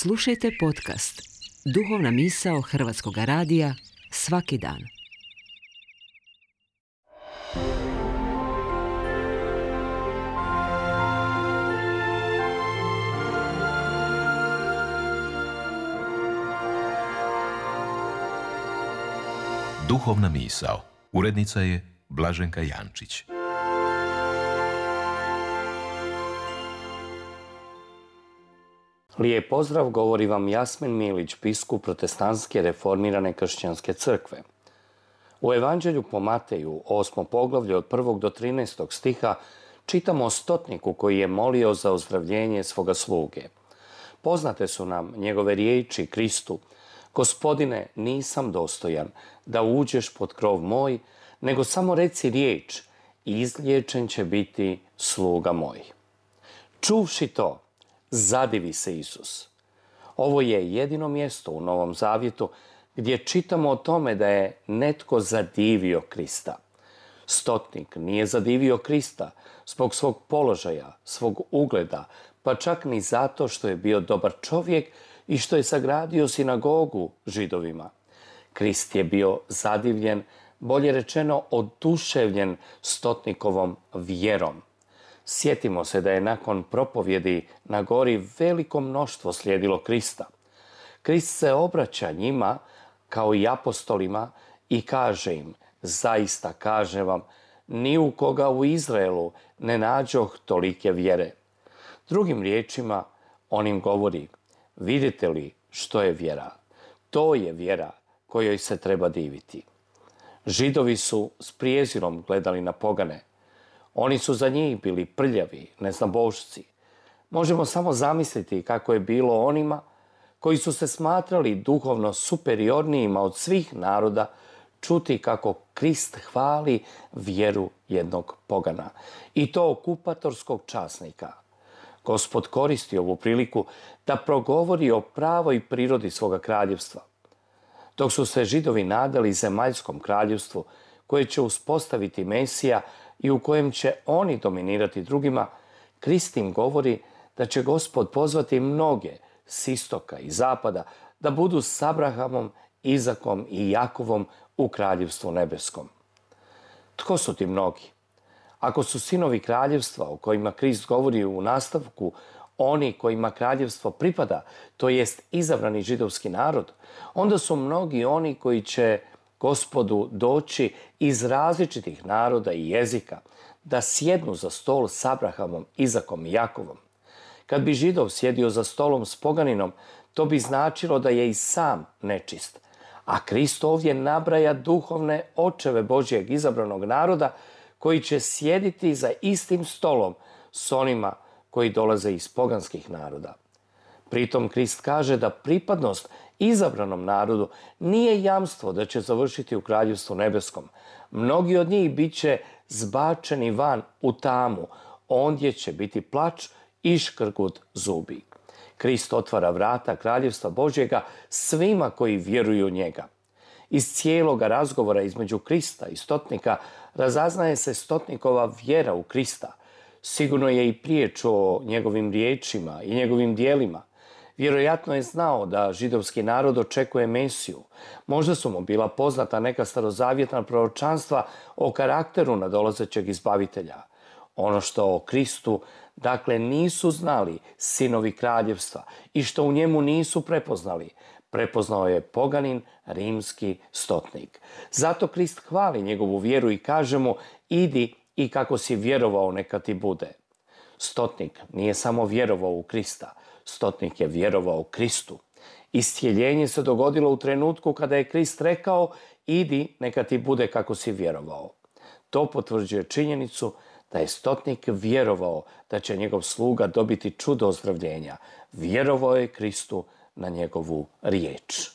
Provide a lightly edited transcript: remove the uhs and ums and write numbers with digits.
Slušajte podcast Duhovna misao Hrvatskog radija svaki dan. Duhovna misao. Urednica je Blaženka Jančić. Lijep pozdrav, govori vam Jasmin Milić, biskup Protestantske reformirane kršćanske crkve. U Evanđelju po Mateju, 8. poglavlje od 1. do 13. stiha, čitamo o stotniku koji je molio za ozdravljenje svoga sluge. Poznate su nam njegove riječi Kristu: Gospodine, nisam dostojan da uđeš pod krov moj, nego samo reci riječ i izliječen će biti sluga moj. Čuvši to, zadivi se Isus. Ovo je jedino mjesto u Novom Zavjetu gdje čitamo o tome da je netko zadivio Krista. Stotnik nije zadivio Krista zbog svog položaja, svog ugleda, pa čak ni zato što je bio dobar čovjek i što je sagradio sinagogu Židovima. Krist je bio zadivljen, bolje rečeno oduševljen stotnikovom vjerom. Sjetimo se da je nakon propovjedi na gori veliko mnoštvo slijedilo Krista. Krist se obraća njima kao i apostolima i kaže im: zaista kažem vam, ni u koga u Izraelu ne nađoh tolike vjere. Drugim riječima, on im govori: vidite li što je vjera? To je vjera kojoj se treba diviti. Židovi su s prijezirom gledali na pogane. Oni su za njih bili prljavi, neznabošci. Možemo samo zamisliti kako je bilo onima koji su se smatrali duhovno superiornijima od svih naroda čuti kako Krist hvali vjeru jednog pogana, i to okupatorskog časnika. Gospod koristi ovu priliku da progovori o pravoj prirodi svoga kraljevstva. Dok su se Židovi nadali zemaljskom kraljevstvu koje će uspostaviti Mesija i u kojem će oni dominirati drugima, Krist im govori da će Gospod pozvati mnoge s istoka i zapada da budu s Abrahamom, Izakom i Jakovom u kraljevstvu nebeskom. Tko su ti mnogi? Ako su sinovi kraljevstva o kojima Krist govori u nastavku oni kojima kraljevstvo pripada, to jest izabrani židovski narod, onda su mnogi oni koji će Gospodu doći iz različitih naroda i jezika, da sjednu za stol s Abrahamom, Izakom i Jakovom. Kad bi Židov sjedio za stolom s poganinom, to bi značilo da je i sam nečist. A Krist ovdje nabraja duhovne očeve Božjeg izabranog naroda koji će sjediti za istim stolom s onima koji dolaze iz poganskih naroda. Pritom Krist kaže da pripadnost izabranom narodu nije jamstvo da će završiti u kraljevstvu nebeskom. Mnogi od njih bit će zbačeni van u tamu, ondje će biti plač i škrgut zubi. Krist otvara vrata kraljevstva Božjega svima koji vjeruju u njega. Iz cijeloga razgovora između Krista i stotnika razaznaje se stotnikova vjera u Krista. Sigurno je i prije čuo njegovim riječima i njegovim dijelima. Vjerojatno je znao da židovski narod očekuje Mesiju. Možda su mu bila poznata neka starozavjetna proročanstva o karakteru nadolazećeg izbavitelja. Ono što o Kristu, dakle, nisu znali sinovi kraljevstva i što u njemu nisu prepoznali, prepoznao je poganin rimski stotnik. Zato Krist hvali njegovu vjeru i kaže mu: idi i kako si vjerovao neka ti bude. Stotnik nije samo vjerovao u Krista, stotnik je vjerovao u Kristu. Iscijeljenje se dogodilo u trenutku kada je Krist rekao: idi neka ti bude kako si vjerovao. To potvrđuje činjenicu da je stotnik vjerovao da će njegov sluga dobiti čudo ozdravljenja. Vjerovao je Kristu na njegovu riječ.